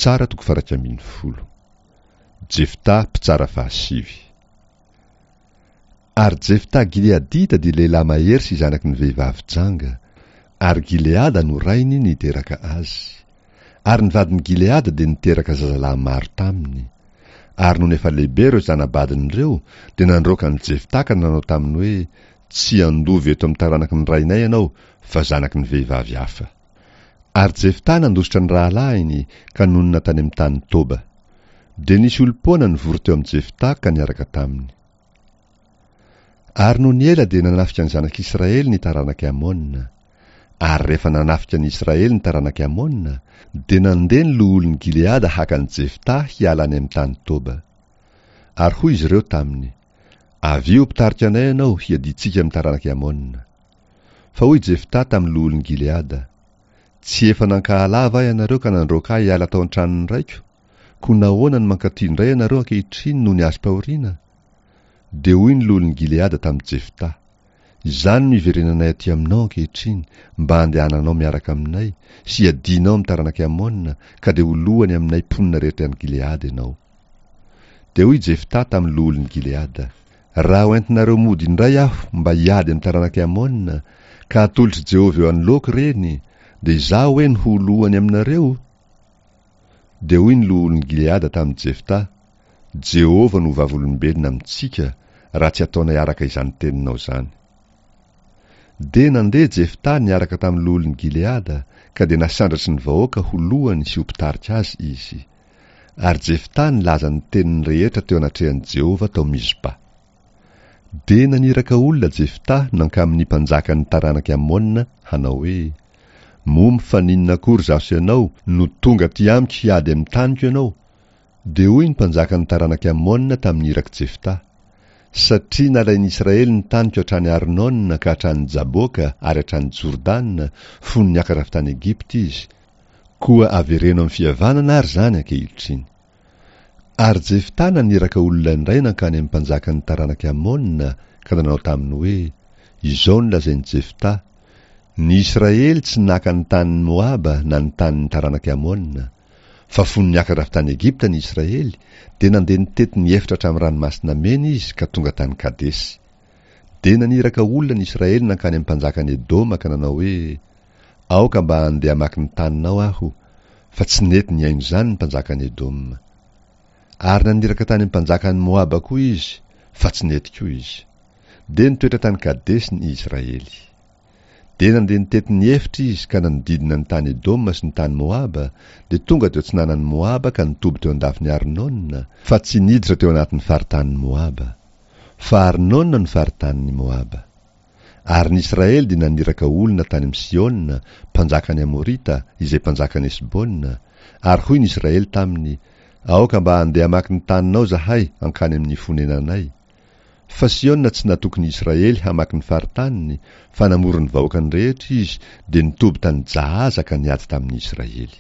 Mpitsara toko faha-iraika 11. Jefta mpitsara fahasivy. Ary Jefta Gileadita dia lehilahy mahery sy zanaky ny vehivavy janga, ary Gileada no rainy niteraka azy. Ary ny vadin'i Gileada dia niteraka zazalahy maro taminy. Ary nony efa lehibe ireo zana-badiny ireo, dia nandroaka an'i Jefta ka nanao taminy hoe, Tsy handova eto amin'ny taranaky ny rainay ianao, fa zanaky ny vehivavy hafa. Ary Jefta nandositra ny rahalahiny ka nonina tany amin'ny tany Toba. Dia nisy olom-poana nivory teo amin'i Jefta ka niaraka taminy. Ary nony ela dia nanafika ny zanak'Israely ny taranak'i Amona. Ary rehefa nanafika ny Israely ny taranak'i Amona, dia nandeha ny loholon'i Gileada haka an'i Jefta hiala any amin'ny tany Toba. Ary hoy izy ireo taminy, Avia ho mpitarika anay ianao hiadiantsika amin'ny taranak'i Amona. Fa hoy Jefta tamin'ny loholon'i Gileada, Tsy efa nankahala ahy va ianareo ka nandroaka ahy hiala tao an-tranon'ny raiko? Koa nahoana no mankaty indray ianareo ankehitriny nony azom-pahoriana? Dia hoy ny loholon'i Gileada tamin'i Jefta, Izany no iverenanay aty aminao ankehitriny, mba handehananao miaraka aminay, sy hiadianao amin'ny taranak'i Amona, ka dia ho lohany aminay mponina rehetra any Gileada ianao. Dia hoy Jefta tamin'ny loholon'i Gileada, Raha hoentinareo mody indray aho mba hiady amin'ny taranak'i Amona, ka hatolotr'i Jehovah eo anoloako ireny, dia izaho ve no ho lohany aminareo? Dia hoy ny loholon'i Gileada tamin'i Jefta, Jehovah no vavolombelona amintsika, raha tsy ataonay araka izany teninao izany. Dia nandeha Jefta niaraka tamin'ny loholon'i Gileada, ka dia nasandratry ny vahoaka ho lohany sy ho mpitarika azy izy. Ary Jefta nilaza ny teniny rehetra teo anatrehan'i Jehovah tao Mizpa. Dia naniraka olona Jefta nankamin'ny mpanjakan'ny taranak'i Amona hanao hoe, Moa mifaninona akory izaho sy ianao no tonga aty amiko hiady amin'ny taniko ianao? Dia hoy ny mpanjakan'ny taranak'i Amona tamin'ny irak'i Jefta, Satria nalain'i Israely ny taniko hatrany Arnona ka hatrany Jaboka ary hatrany Jordana fony niakatra avy tany Egypta izy, Koa avereno amin'ny fihavanana ary izany ankehitriny. Ary Jefta naniraka olona indray nankany amin'ny mpanjakan'ny taranak'i Amona ka nanao taminy hoe, Izao no lazain'i Jefta, Ny Israely tsy naka ny tanin'i Moaba na ny tanin'ny taranak'i Amona. Fa fony niakatra avy tany Egypta ny Israely, dia nandeha nitety ny efitra hatramin'ny Ranomasina Mena izy ka tonga tany Kadesy. Dia naniraka olona ny Israely nankany amin'ny mpanjakan'i Edoma ka nanao hoe, Aoka mba handeha hamaky ny taninao aho, fa tsy nety nihaino izany ny mpanjakan'i Edoma. Ary naniraka tany amin'ny mpanjakan'i Moaba koa izy, fa tsy nety koa izy. Dia nitoetra tany Kadesy ny Israely. Dia nandeha nitety ny efitra izy ka nanodidina ny tany Edoma sy ny tany Moaba, dia tonga teo atsinanan'i Moaba ka nitoby teo an-dafin'i Arnona, fa tsy niditra teo anatin'ny faritanin'i Moaba. Fa Arnona no faritanin'i Moaba. Ary ny Israely dia naniraka olona tany amin'i Sihona, mpanjakan'ny Amorita, izay mpanjakan'i Hesbona, ary hoy ny Israely taminy, Aoka mba handeha hamaky ny taninao izahay hankany amin'ny fonenanay. Fa Sihona tsy natoky ny Israely hamaky ny faritaniny, fa namory ny vahoakany rehetra izy, dia nitoby tany Jahaza ka niady tamin'ny Israely.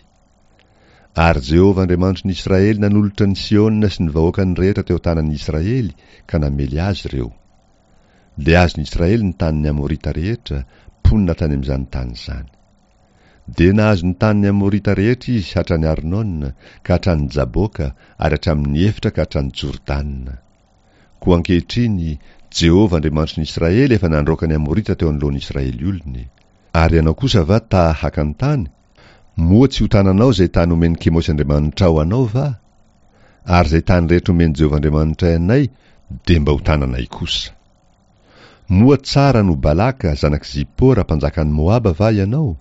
Ary Jehovah Andriamanitry ny Israely nanolotra an'i Sihona sy ny vahoakany rehetra teo an-tanan'ny Israely, ka namely azy ireo. Dia azon'i Israely ny tanin'ny Amorita rehetra, mponina tany amin'izany tany izany. Dia nahazo ny tanin'ny Amorita rehetra izy hatrany Arnona, ka hatrany Jaboka, ary hatramin'ny efitra ka hatrany Jordana. Koa ankehitriny, Jehovah Andriamanitry ny Israely efa nandroaka ny Amorita teo anoloan'ny Israely olony. Ary ianao kosa va ta haka ny tany? Moa tsy ho tananao izay tany omen'i Kemosy andriamanitrao anao va? Ary izay tany rehetra omen'i Jehovah Andriamanitray anay dia mba ho tananay kosa. Moa tsara noho Balaka, zanak'i Zipora, mpanjakan'i Moaba va ianao?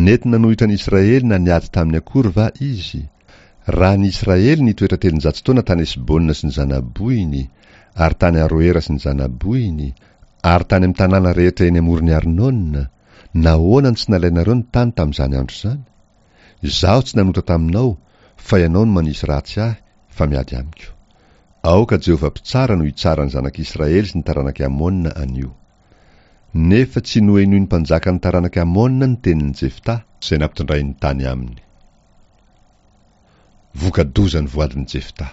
Nety nanohitra ny Israely na niady taminy akory va izy? Raha ny Israely nitoetra 300 taona tany Hesbona sy ny zana-bohiny, ary tany Aroera sy ny zana-bohiny, ary tany amin'ny tanàna rehetra eny amoron'i Arnona, nahoana no tsy nalainareo ny tany tamin'izany andro izany? Izaho tsy nanota taminao, fa ianao no manisy ratsy ahy, fa miady amiko. Aoka Jehovah Mpitsara no hitsara ny zanak'Israely sy ny taranak'i Amona anio. Nefa tsy nohenoin'ny mpanjakan'ny taranak'i Amona ny tenin'i Jefta, izay nampitondrainy tany aminy. Voka-doza ny voadin'i Jefta.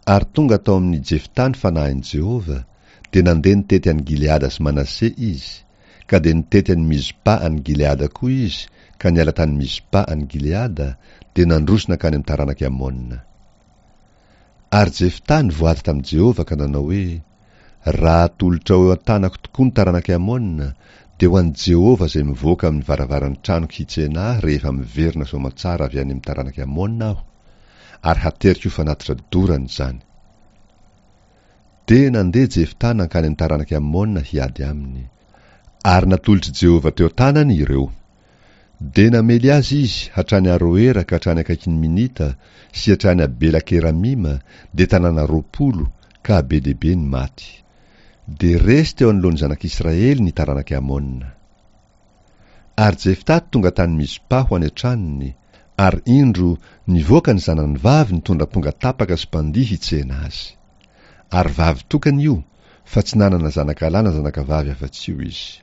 Ary tonga tao amin'i Jefta ny fanahin'i Jehovah, dia nandeha nitety an'i Gileada sy Manase izy, ka dia nitety an'i Mizpa any Gileada koa izy, ka niala tany Mizpa any Gileada, dia nandroso nankany amin'ny taranak'i Amona. Ary Jefta nivoady tamin'i Jehovah ka nanao hoe, Raha atolotrao eo an-tanako tokoa ny taranak'i Amona, dia ho an'i Jehovah izay mivoaka amin'ny varavaran'ny tranoko hitsena ahy rehefa miverina soamantsara avy any amin'ny taranak'i Amona aho, ary hateriko ho fanatitra dorana izany. Dia nandeha Jefta nankany amin'ny taranak'i Amona hiady aminy. Ary natolotr'i Jehovah teo an-tanany ireo. Dia namely azy izy hatrany Aroera ka hatrany akaikin'i Minita sy hatrany Abela-keramima, dia tanàna 20, ka be dia be ny maty. Dia resy teo anoloan'ny zanak'Israely ny taranak'i Amona. Ary Jefta tonga tany Mizpa ho any an-tranony, ary indro, nivoaka ny zanany vavy nitondra amponga tapaka sy mpandihy hitsena azy. Ary vavy tokana io, fa tsy nanana zanakalahy na zanakavavy afa-tsy io izy.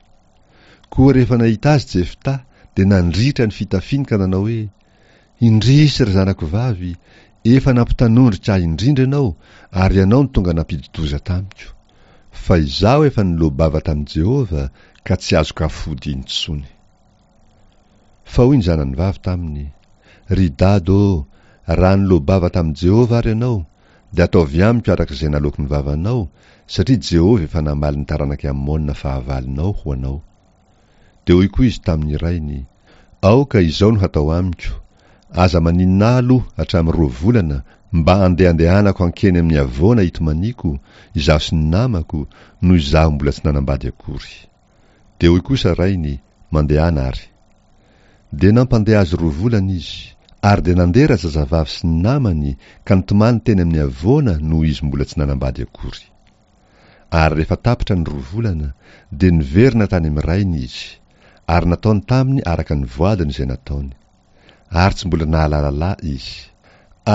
Koa rehefa nahita azy Jefta, dia nandritra ny fitafiany ka nanao hoe, Indrisy, ry zanako vavy, efa nampitanondrika ahy indrindra ianao, ary ianao no tonga nampidi-doza tamiko. Fa izaho efa niloa-bava tamin'i Jehovah, ka tsy azoko afody intsony. Fa hoy ny zanany vavy taminy, Ry dada ô, raha niloa-bava tamin'i Jehovah ary ianao, dia ataovy amiko araka izay naloaky ny vavanao, satria Jehovah efa namaly ny taranak'i Amona fahavalonao ho anao. Dia hoy koa izy tamin'ny rainy, Aoka izao no hatao amiko, Aza maninona ahy aloha hatramin'ny roa volana, mba handehandehanako hankeny amin'ny havoana hitomaniako, izaho sy ny namako, noho izaho mbola tsy nanambady akory. Dia hoy kosa rainy, Mandehana àry. Dia nampandeha azy roa volana izy. Ary dia nandeha razazavavy sy ny namany ka nitomany teny amin'ny havoana noho izy mbola tsy nanambady akory. Ary rehefa tapitra ny roa volana, dia niverina tany amin'ny rainy izy, ary nataony taminy araka ny voadiny izay nataony. Ary tsy mbola nahalala lahy izy.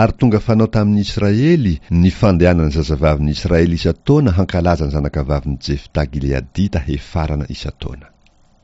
Ary tonga fanao tamin'ny Israely ny fandehanan'ny zazavavin'ny Israely isan-taona hankalaza ny zanakavavin'i Jefta Gileadita hefarana isan-taona.